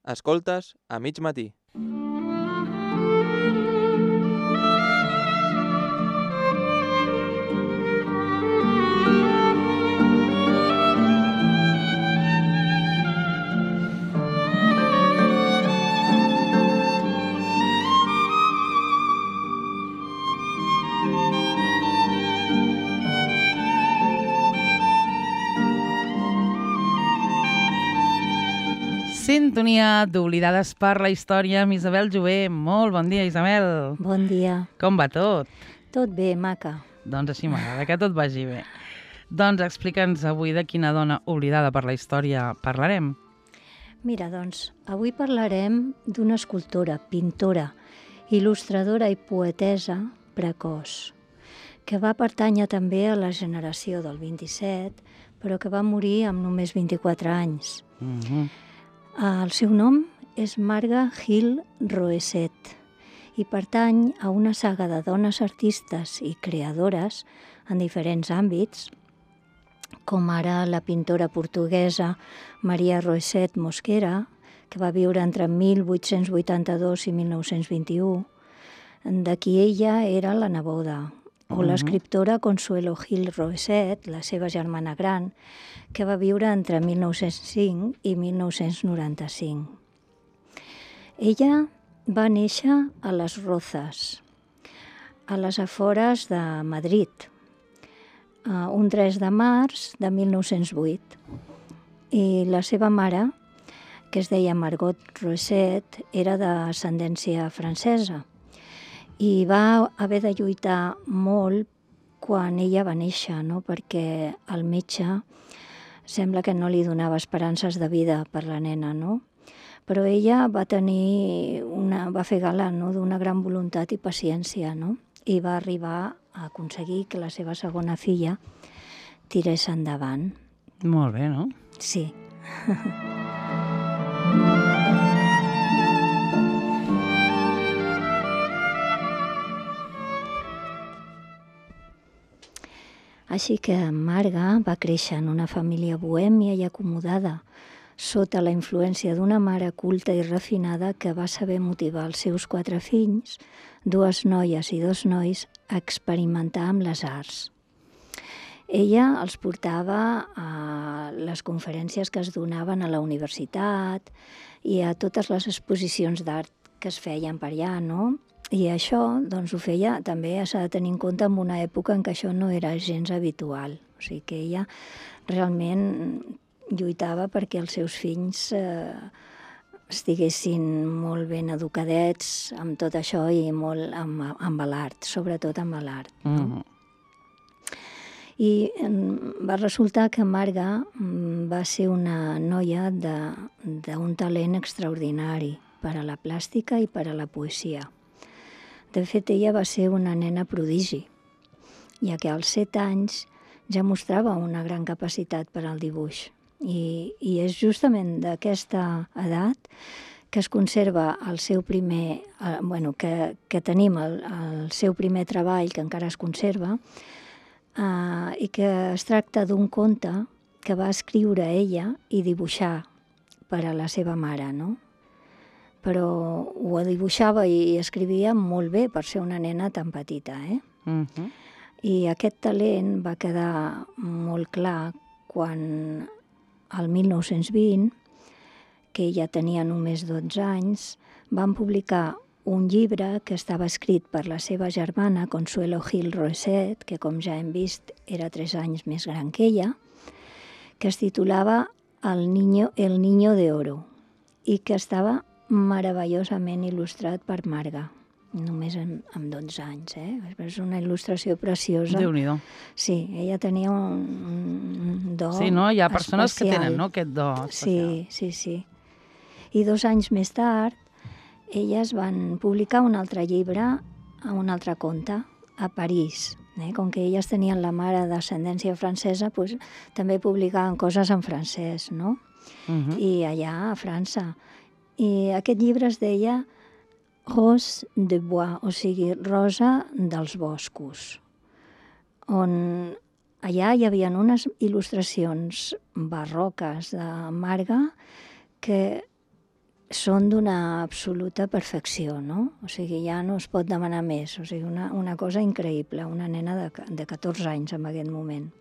Escoltes a mig matí. Sintonia d'Oblidades per la Història amb Isabel Jové. Molt bon dia, Isabel. Bon dia. Com va tot? Tot bé, maca. Doncs així m'agrada, que tot vagi bé. Doncs explica'ns avui de quina dona oblidada per la història parlarem. Mira, doncs, avui parlarem d'una escultora, pintora, il·lustradora i poetessa precoç, que va pertànyer també a la generació del 27, però que va morir amb només 24 anys. El seu nom és Marga Gil Roesset i pertany a una saga de dones artistes i creadores en diferents àmbits, com ara la pintora portuguesa Maria Roesset Mosquera, que va viure entre 1882 i 1921, de qui ella era la neboda, o l'escriptora Consuelo Gil Roesset, la seva germana gran, que va viure entre 1905 i 1995. Ella va néixer a Les Rozas, a les afores de Madrid, un 3 de març de 1908. I la seva mare, que es deia Margot Roesset, era d'ascendència francesa i va haver de lluitar molt quan ella va néixer, no? Perquè el metge sembla que no li donava esperances de vida per la nena, no? Però ella va fer gala, no? D'una gran voluntat i paciència, no? I va arribar a aconseguir que la seva segona filla tirés endavant. Molt bé, no? Sí. Així que Marga va créixer en una família bohèmia i acomodada, sota la influència d'una mare culta i refinada que va saber motivar els seus 4 fills, 2 noies i 2 nois, a experimentar amb les arts. Ella els portava a les conferències que es donaven a la universitat i a totes les exposicions d'art que es feien per allà, no? I això doncs, ho feia també, s'ha de tenir en compte, en una època en què això no era gens habitual. O sigui que ella realment lluitava perquè els seus fills estiguessin molt ben educadets amb tot això i molt amb l'art, sobretot amb l'art. No? I va resultar que Marga va ser una noia d'un talent extraordinari per a la plàstica i per a la poesia. De fet, ella va ser una nena prodigi, ja que als 7 anys ja mostrava una gran capacitat per al dibuix. I és justament d'aquesta edat que es conserva el seu primer, que tenim el seu primer treball, que encara es conserva, i que es tracta d'un conte que va escriure ella i dibuixar per a la seva mare, no? Però ho dibuixava i escrivia molt bé per ser una nena tan petita, I aquest talent va quedar molt clar quan el 1920, que ella tenia només 12 anys, van publicar un llibre que estava escrit per la seva germana, Consuelo Gil Roesset, que com ja hem vist era 3 anys més gran que ella, que es titulava El Niño de Oro i que estava meravellosament il·lustrat per Marga, només amb 12 anys. És una il·lustració preciosa. Déu-n'hi-do. Sí, ella tenia un do especial. Sí, no? Hi ha persones que tenen, no?, aquest do especial. Sí. I 2 anys més tard, elles van publicar un altre llibre, un altre conte, a París. Com que elles tenien la mare d'ascendència francesa, doncs, també publicaven coses en francès, no? I allà a França. I aquest llibre es deia Rose de Bois, o sigui, Rosa dels boscos, on allà hi havia unes il·lustracions barroques de Marga que són d'una absoluta perfecció, no? O sigui, ja no es pot demanar més. O sigui, una cosa increïble, una nena de 14 anys en aquest moment.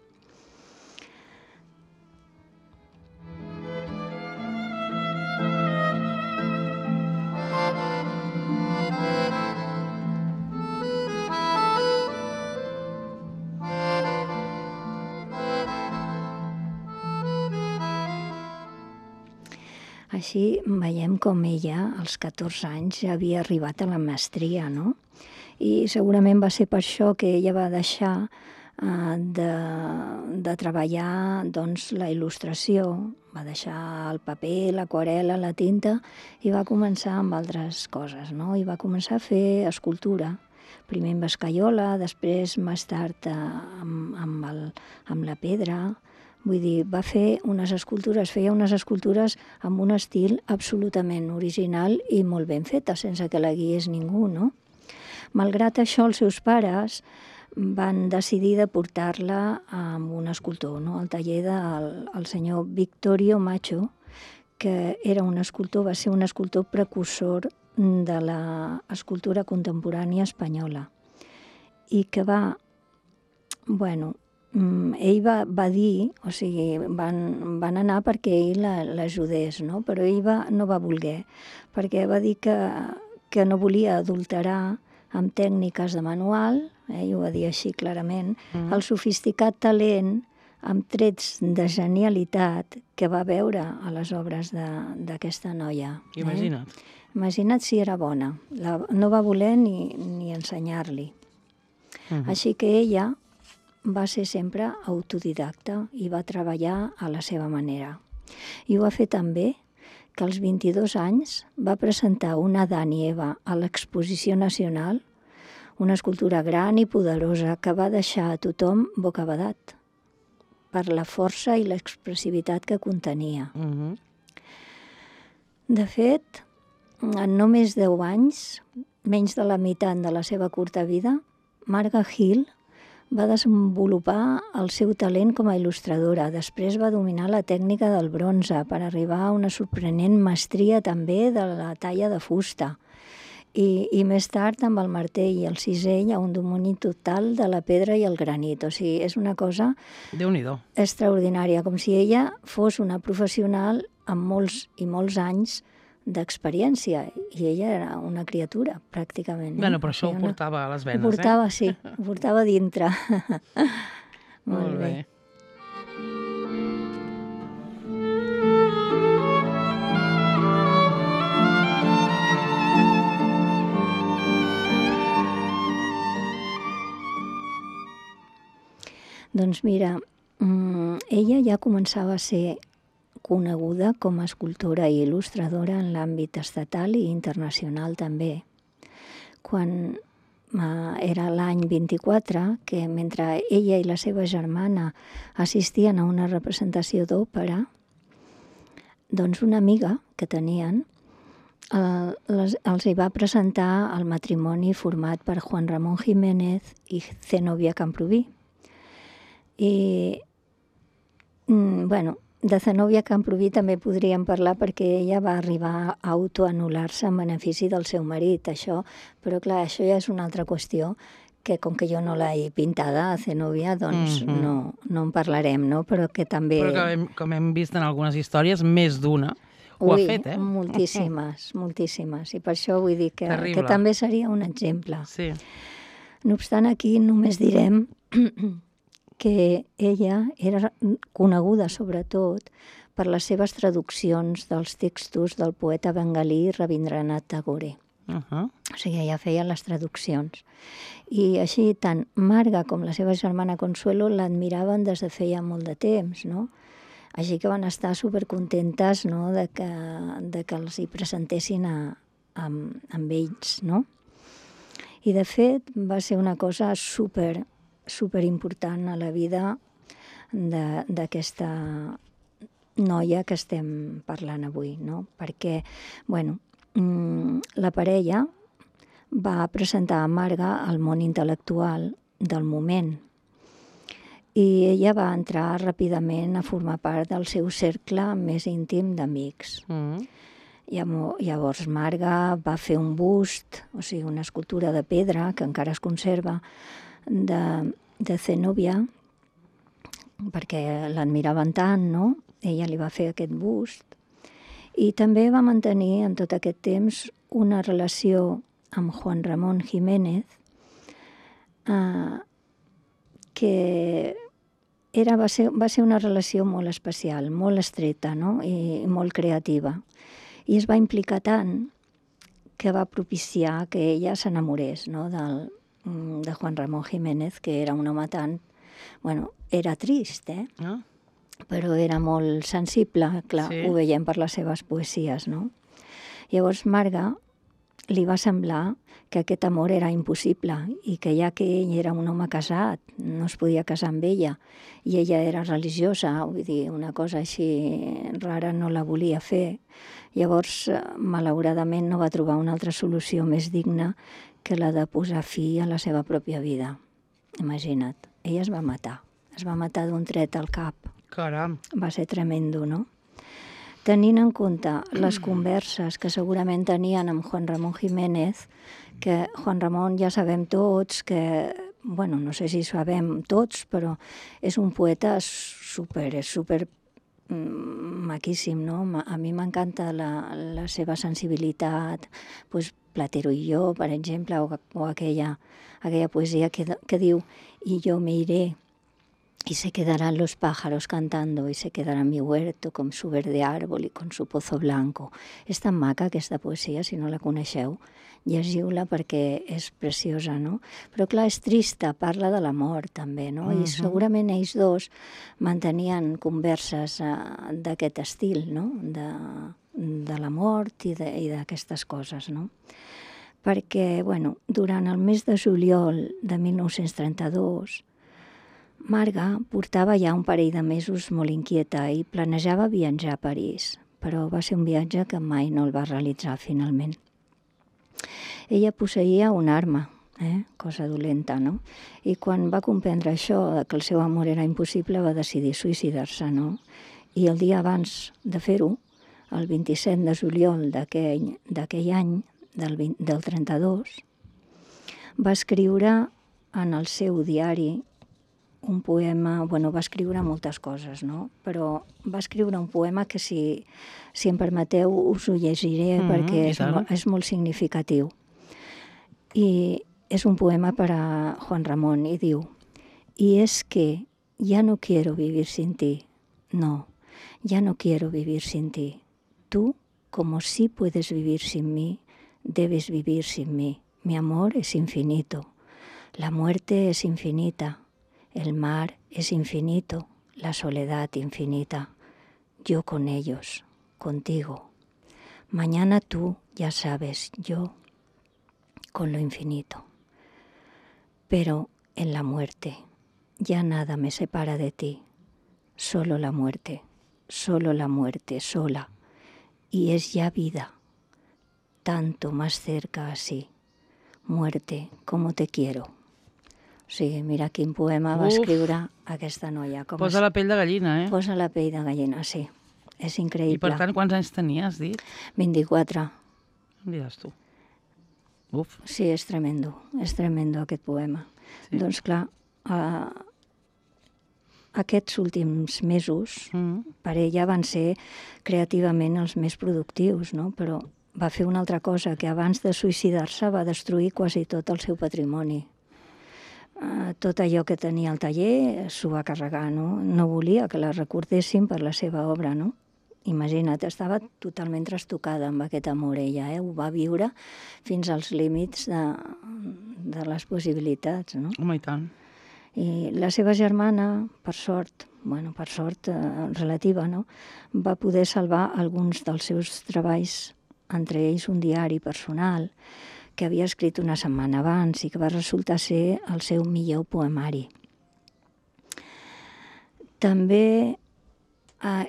Així veiem com ella, als 14 anys, ja havia arribat a la mestria, no? I segurament va ser per això que ella va deixar de treballar doncs, la il·lustració, va deixar el paper, l'aquarel·la, la tinta, i va començar amb altres coses, no? I va començar a fer escultura, primer amb escaiola, després més tard amb la pedra. Vull dir, va fer feia unes escultures amb un estil absolutament original i molt ben feta, sense que la guiés ningú, no? Malgrat això, els seus pares van decidir de portar-la amb un escultor, no? Al taller del senyor Victorio Macho, que era un escultor, va ser un escultor precursor de l'escultura contemporània espanyola i que ell va dir, o sigui, van anar perquè ell l'ajudés, no? Però ell no va voler, perquè va dir que no volia adulterar amb tècniques de manual, ell ho va dir així clarament, el sofisticat talent amb trets de genialitat que va veure a les obres d'aquesta noia. Imagina't. Imagina't si era bona. No va voler ni ensenyar-li. Així que ella va ser sempre autodidacta i va treballar a la seva manera. I ho va fer també que als 22 anys va presentar una Adán i Eva a l'Exposició Nacional, una escultura gran i poderosa que va deixar a tothom bocabadat per la força i l'expressivitat que contenia. De fet, en només 10 anys, menys de la meitat de la seva curta vida, Marga Hill va desenvolupar el seu talent com a il·lustradora. Després va dominar la tècnica del bronze per arribar a una sorprenent mestria també de la talla de fusta. I més tard, amb el martell i el cisell, a un domini total de la pedra i el granit. O sigui, és una cosa Déu-n'hi-do. extraordinària, com si ella fos una professional amb molts i molts anys d'experiència, i ella era una criatura, pràcticament. Bueno, però això ho portava a les venes, Ho portava, sí, ho portava dintre. Molt bé. Doncs mira, ella ja començava a ser coneguda com a escultora i il·lustradora en l'àmbit estatal i internacional també. Quan era l'any 24, que mentre ella i la seva germana assistien a una representació d'òpera, doncs una amiga que tenien els hi va presentar el matrimoni format per Juan Ramón Jiménez i Zenobia Camprubí. I, de Zenobia Camprubí també podríem parlar perquè ella va arribar a autoanul·lar-se en benefici del seu marit, això, però clar, això ja és una altra qüestió que com que jo no l'he pintada a Zenobia, doncs no en parlarem, no? Però que també... Però que, com hem vist en algunes històries, més d'una ho ha fet, eh? Moltíssimes, moltíssimes. I per això vull dir que també seria un exemple. Sí. No obstant, aquí només direm que ella era coneguda sobretot per les seves traduccions dels textos del poeta bengalí Rabindranath Tagore. O sigui, ella feia les traduccions. I així, tant Marga com la seva germana Consuelo l'admiraven des de feia molt de temps, no? Així que van estar supercontentes, no?, de que els hi presentessin amb ells, no? I, de fet, va ser una cosa superimportant a la vida d'aquesta noia que estem parlant avui, no? Perquè, la parella va presentar a Marga al món intel·lectual del moment i ella va entrar ràpidament a formar part del seu cercle més íntim d'amics. Llavors Marga va fer un bust, o sigui, una escultura de pedra que encara es conserva, de Zenòbia, perquè l'admiraven tant, no? Ella li va fer aquest bust. I també va mantenir en tot aquest temps una relació amb Juan Ramón Jiménez, que va ser una relació molt especial, molt estreta, no? I molt creativa. I es va implicar tant que va propiciar que ella s'enamorés, no? de Juan Ramón Jiménez, que era un home tan... Bueno, era trist, però era molt sensible, clar, Sí. ho veiem per les seves poesies, no? Llavors Marga li va semblar que aquest amor era impossible i que ja que ell era un home casat, no es podia casar amb ella, i ella era religiosa, vull dir, una cosa així rara no la volia fer. Llavors, malauradament, no va trobar una altra solució més digna que la de posar fi a la seva pròpia vida. Imagina't, ella es va matar d'un tret al cap. Caram. Va ser tremendo, no? Tenint en compte les converses que segurament tenien amb Juan Ramón Jiménez, que Juan Ramón ja sabem tots que, bueno, no sé si sabem tots, però és un poeta super maquíssim, no? A mi m'encanta la seva sensibilitat, pues, Platero i jo, per exemple, o aquella poesia que diu «Y yo me iré, y se quedarán los pájaros cantando, y se quedará mi huerto con su verde árbol y con su pozo blanco». És tan maca aquesta poesia, si no la coneixeu, llegiu-la perquè és preciosa, no? Però clar, és trista, parla de la mort també, no? I segurament ells dos mantenien converses d'aquest estil, no? De la mort i d'aquestes coses, no? Perquè, bueno, durant el mes de juliol de 1932, Marga portava ja un parell de mesos molt inquieta i planejava viatjar a París, però va ser un viatge que mai no el va realitzar finalment. Ella posseïa una arma, cosa dolenta, no? I quan va comprendre això, que el seu amor era impossible, va decidir suïcidar-se, no? I el dia abans de fer-ho, el 27 de juliol d'aquell any, del 32, va escriure en el seu diari un poema, bueno, va escriure moltes coses, no? Però va escriure un poema que, si em permeteu, us ho llegiré perquè és molt significatiu. I és un poema per a Juan Ramón i diu: «Y es que ya no quiero vivir sin ti. No, ya no quiero vivir sin ti. Tú, como sí puedes vivir sin mí, debes vivir sin mí. Mi amor es infinito. La muerte es infinita. El mar es infinito. La soledad infinita. Yo con ellos, contigo. Mañana tú, ya sabes, yo con lo infinito. Pero en la muerte ya nada me separa de ti. Solo la muerte, sola. Y es ya vida. Tanto más cerca así. Muerte, como te quiero». O sigui, mira quin poema va escriure aquesta noia. Posa la pell de gallina, Posa la pell de gallina, sí. És increïble. I per tant, quants anys tenia, has dit? 24. Em diràs tu. Uf. Sí, és tremendo aquest poema. Sí. Doncs clar, aquests últims mesos per ella van ser creativament els més productius, no? Però va fer una altra cosa, que abans de suïcidar-se va destruir quasi tot el seu patrimoni. Tot allò que tenia al taller s'ho va carregar, no? No volia que la recordessin per la seva obra, no? Imagina't, estava totalment trastocada amb aquest amor, ella, ho va viure fins als límits de les possibilitats, no? Home, i tant. I la seva germana, per sort relativa, no? Va poder salvar alguns dels seus treballs, entre ells un diari personal que havia escrit una setmana abans i que va resultar ser el seu millor poemari. També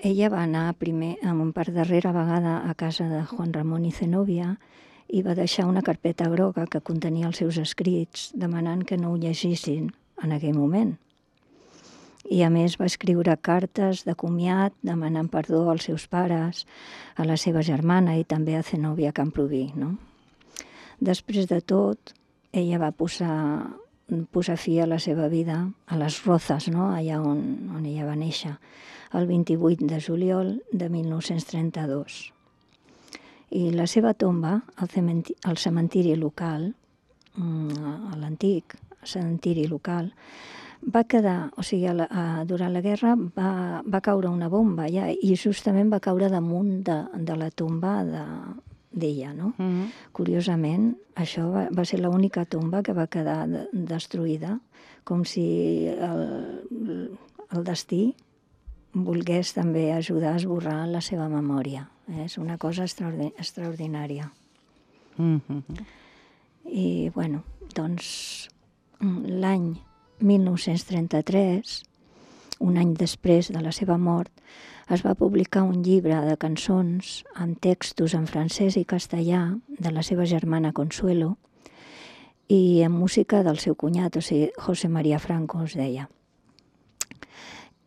ella va anar per darrera vegada a casa de Juan Ramón i Zenòbia i va deixar una carpeta groga que contenia els seus escrits, demanant que no ho llegissin en aquell moment. I a més va escriure cartes de comiat demanant perdó als seus pares, a la seva germana i també a Zenòbia Camprubí, no? Després de tot, ella va posar fi a la seva vida a les Rozas, no? Allà on ella va néixer, el 28 de juliol de 1932. I la seva tomba al cementiri local, a l'antic cementiri local, va quedar, o sigui, durant la guerra va caure una bomba allà i justament va caure damunt de la tomba d'ella, no? Curiosament, això va ser l'única tomba que va quedar destruïda, com si el destí volgués també ajudar a esborrar la seva memòria. És una cosa extraordinària. I, bueno, doncs, l'any 1933, un any després de la seva mort, es va publicar un llibre de cançons amb textos en francès i castellà de la seva germana Consuelo i amb música del seu cunyat, o sigui, José María Franco es deia.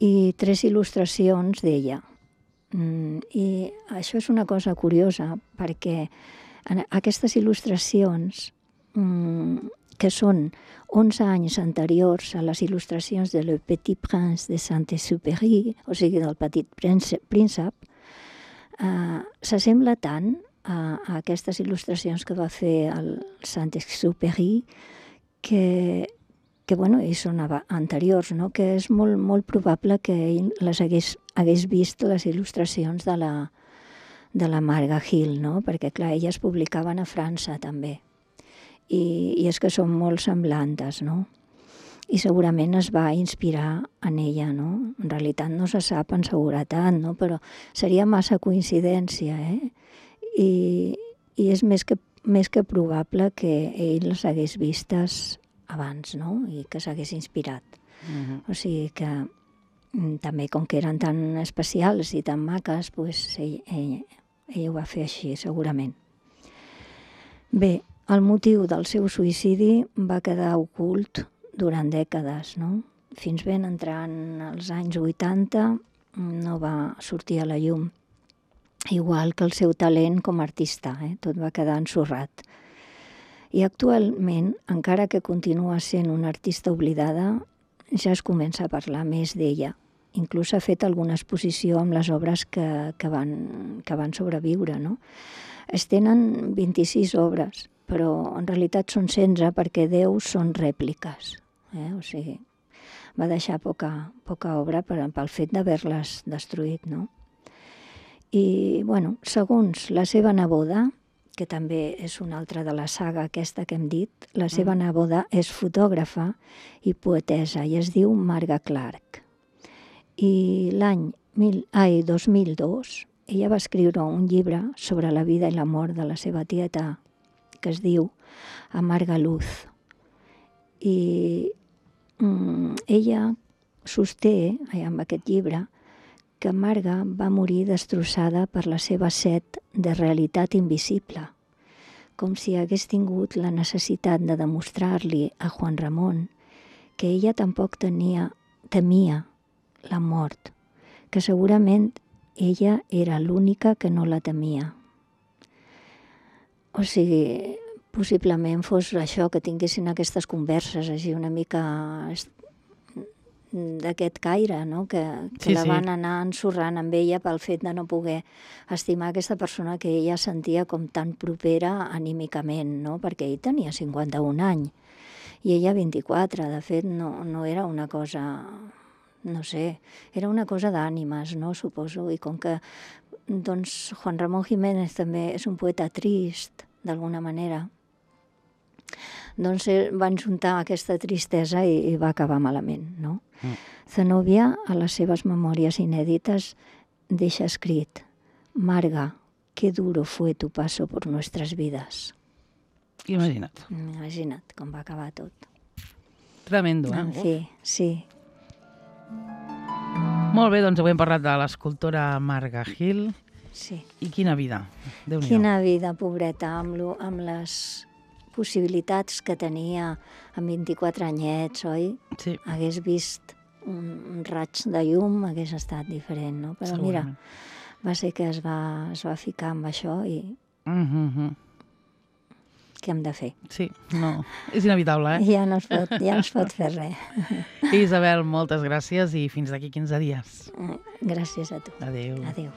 I 3 il·lustracions d'ella. I això és una cosa curiosa perquè aquestes il·lustracions que són 11 anys anteriors a les il·lustracions de Le Petit Prince de Saint-Exupéry, o sigui, del Petit Príncep, s'assembla tant a aquestes il·lustracions que va fer el Saint-Exupéry que bueno, i són anteriors, no? Que és molt probable que ell hagués vist les il·lustracions de la Marga Gil, no? Perquè, clar, elles publicaven a França també. I és que són molt semblantes, no? I segurament es va inspirar en ella, no? En realitat no se sap en seguretat, no? Però seria massa coincidència, I és més que probable que ell les hagués vistes abans, no? I que s'hagués inspirat. O sigui que també, com que eren tan especials i tan maques, doncs ell ho va fer així, segurament. Bé, el motiu del seu suïcidi va quedar ocult durant dècades, no? Fins ben entrant als anys 80 no va sortir a la llum, igual que el seu talent com a artista, tot va quedar ensorrat. I actualment, encara que continua sent una artista oblidada, ja es comença a parlar més d'ella. Inclús ha fet alguna exposició amb les obres que van sobreviure, no? Es tenen 26 obres, però en realitat són 16 perquè 10 són rèpliques. O sigui, va deixar poca obra pel fet d'haver-les destruït, no? I, bueno, segons la seva neboda, que també és una altra de la saga aquesta que hem dit, la seva neboda és fotògrafa i poetessa i es diu Marga Clark. I l'any 2002 ella va escriure un llibre sobre la vida i la mort de la seva tieta, que es diu Amarga Luz. I ella sosté, amb aquest llibre, que Marga va morir destrossada per la seva set de realitat invisible, com si hagués tingut la necessitat de demostrar-li a Juan Ramon que ella tampoc temia la mort, que segurament ella era l'única que no la temia. O sigui, possiblement fos això, que tinguessin aquestes converses així una mica d'aquest caire, no? Que la van anar ensorrant amb ella pel fet de no poder estimar aquesta persona que ella sentia com tan propera anímicament, no? Perquè ell tenia 51 anys i ella 24. De fet, no era una cosa, no sé, era una cosa d'ànimes, no? Suposo. I com que doncs, Juan Ramón Jiménez també és un poeta trist, d'alguna manera, doncs van juntar aquesta tristesa i va acabar malament, no? Zenòbia, a les seves memòries inèdites, deixa escrit: Marga, qué duro fue tu paso por nuestras vidas. Imagina't. Imagina't com va acabar tot. Tremendo, En fi, sí. Molt bé, doncs avui hem parlat de l'escultora Marga Gil. Sí. I quina vida, Déu-n'hi-do. Quina vida, pobreta, amb les possibilitats que tenia amb 24 anyets, oi? Sí. Hagués vist un raig de llum hagués estat diferent, no? Però mira, va ser que es va ficar amb això i què hem de fer? Sí, no, és inevitable, eh? Ja no es pot fer res. Isabel, moltes gràcies i fins d'aquí 15 dies. Gràcies a tu. Adéu. Adéu.